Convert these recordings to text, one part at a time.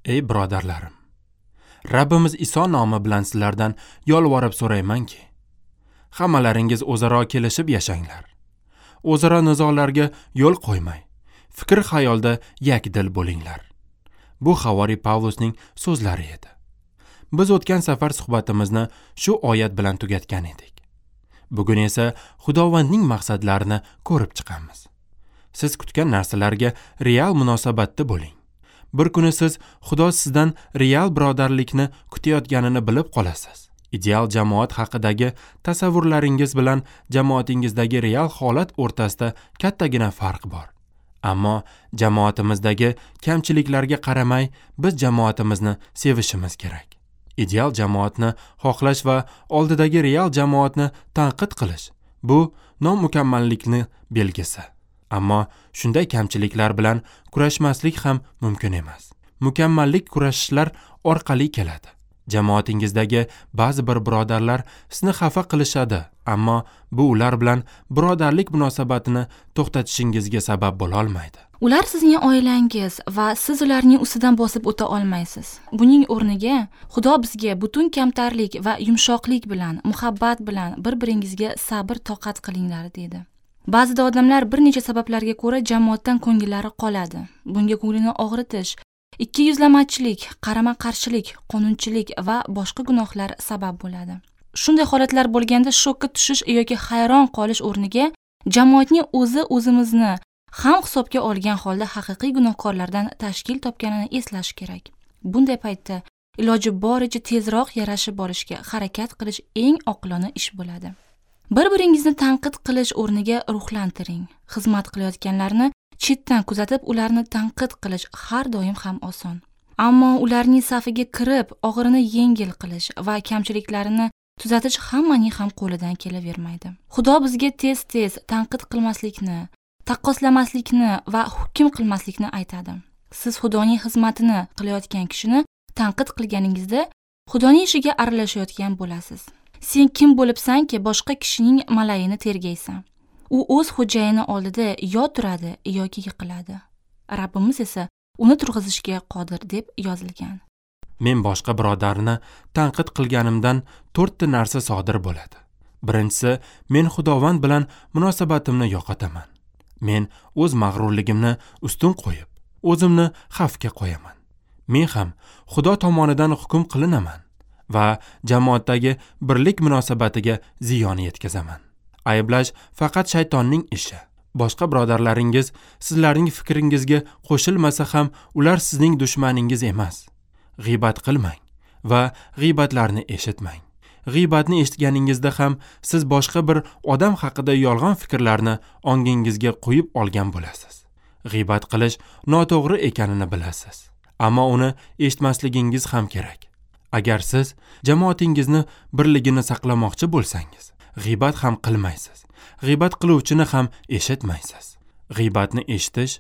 Ey birodarlarim, Rabbimiz Iso nomi bilan sizlardan yolvorib so'raymanki, hammalaringiz o'zaro kelishib yashanglar. O'zaro nizolarga yo'l qo'ymay, fikr xayolda yakdil bo'linglar. Bu havoriy Pavlusning so'zlari edi. Biz o'tgan safar suhbatimizni shu oyat bilan tugatgan edik. Bugun esa Xudovandning maqsadlarini ko'rib chiqamiz. Siz kutgan narsalarga real munosabatda bo'ling. Bir kuni siz Xudo sizdan real birodarlikni kutayotganini bilib qolasiz. Ideal jamoat haqidagi tasavvurlaringiz bilan jamoatingizdagi real holat o'rtasida kattagina farq bor. Ammo jamoatimizdagi kamchiliklarga qaramay, biz jamoatimizni sevishimiz kerak. Ideal jamoatni xohlash va oldidagi real jamoatni tanqid qilish bu nomukammallikni belgisi. Ammo shunday kamchiliklar bilan kurashmaslik ham mumkin emas. Mukammallik kurashishlar orqali keladi. Jamoatingizdagi ba'zi bir birodarlar sizni xafa qilishadi, ammo bu ular bilan birodarlik munosabatini to'xtatishingizga sabab bo'la olmaydi. Ular sizning oilangiz va siz ularning ustidan bosib o'ta olmaysiz. Buning o'rniga Xudo bizga butun kamtarlik va yumshoqlik bilan, muhabbat bilan bir-biringizga sabr toqat qilinglar dedi. Ba'zida odamlar bir necha sabablarga ko'ra jamoatdan ko'ngillari qoladi. Bunga ko'nglini og'ritish, ikki yuzlamachilik, qarama-qarshilik, qonunchilik va boshqa gunohlar sabab bo'ladi. Shunday holatlar bo'lganda shokka tushish yoki hayron qolish o'rniga jamoatning o'zi o'zimizni ham hisobga olgan holda haqiqiy gunohkorlardan tashkil topganini eslash kerak. Bunday paytda iloji boricha tezroq yarashib olishga harakat qilish eng oqilona ish bo'ladi. Bir-biringizni tanqid qilish o'rniga ruhlantiring. Xizmat qilayotganlarni chetdan kuzatib, ularni tanqid qilish har doim ham oson. Ammo ularning safiga kirib, og'irini yengil qilish va kamchiliklarini tuzatish hammaning ham qo'lidan kelavermaydi. Xudo bizga tez-tez tanqid qilmaslikni, taqqoslamaslikni va hukm qilmaslikni aytadi. Siz Xudoning xizmatini qilayotgan kishini tanqid qilganingizda Xudoning ishiga aralashayotgan bo'lasiz. Sen kim bo'libsanki boshqa kishining malayini tergaysan? U o'z xo'jayini oldida yo turadi yoki yiqiladi. Rabbimiz esa uni turg'izishga qodir deb yozilgan. Men boshqa birodarni tanqid qilganimdan 4 ta narsa sodir bo'ladi. Birinchisi, men Xudovand bilan munosabatimni yo'qotaman. Men o'z mag'rurligimni ustun qo'yib, o'zimni xavfga qo'yaman. Men ham Xudo tomonidan hukm qilinaman va jamoatdagi birlik munosabatiga ziyon yetkazaman. Ayblash faqat shaytonning ishi. Boshqa birodarlaringiz sizlarning fikringizga qo'shilmasa ham ular sizning dushmaningiz emas. G'iybat qilmang va g'iybatlarni eshitmang. G'iybatni eshitganingizda ham siz boshqa bir odam haqida yolg'on fikrlarni ongingizga qo'yib olgan bo'lasiz. G'iybat qilish noto'g'ri ekanini bilasiz, ammo uni eshitmasligingiz ham kerak. Agar siz jamoatingizni birligini saqlamoqchi bo'lsangiz, g'iybat ham qilmaysiz. G'iybat qiluvchini ham eshitmaysiz. G'iybatni eshitish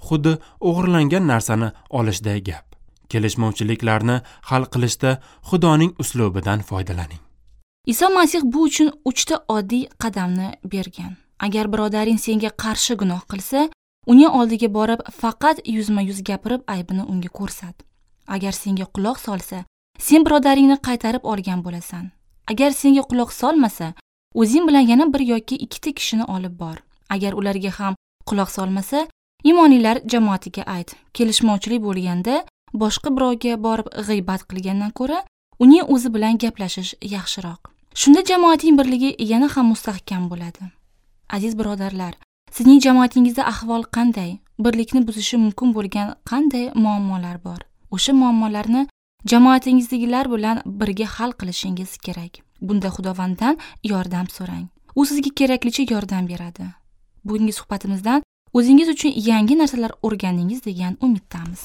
xuddi o'g'irlangan narsani olishday gap. Kelishmovchiliklarni hal qilishda Xudoning uslubidan foydalaning. Iso Masih bu uchun 3 ta oddiy qadamni bergan. Agar birodaring senga qarshi gunoh qilsa, uning oldiga borib faqat yuzma-yuz gapirib aybini unga ko'rsat. Agar senga quloq solsa, sen birodaringni qaytarib olgan bo'lasan. Agar senga quloq solmasa, o'zing bilan yana bir yoki 2 ta kishini olib bor. Agar ularga ham quloq solmasa, imonlilar jamoatiga ayt. Kelishmovchilik bo'lganda boshqa birovga borib g'iybat qilgandan ko'ra, uning o'zi bilan gaplashish yaxshiroq. Shunda jamoatning birligi yana ham mustahkam bo'ladi. Aziz birodarlar, sizning jamoatingizda ahvol qanday? Birlikni buzishi mumkin bo'lgan qanday muammolar bor? O'sha muammolarni jamoatingizdagilar bilan birga hal qilishingiz kerak. Bunda Xudovanddan yordam so'rang. U sizga keraklicha yordam beradi. Bugungi suhbatimizdan o'zingiz uchun yangi narsalar o'rgandingiz degan umiddamiz.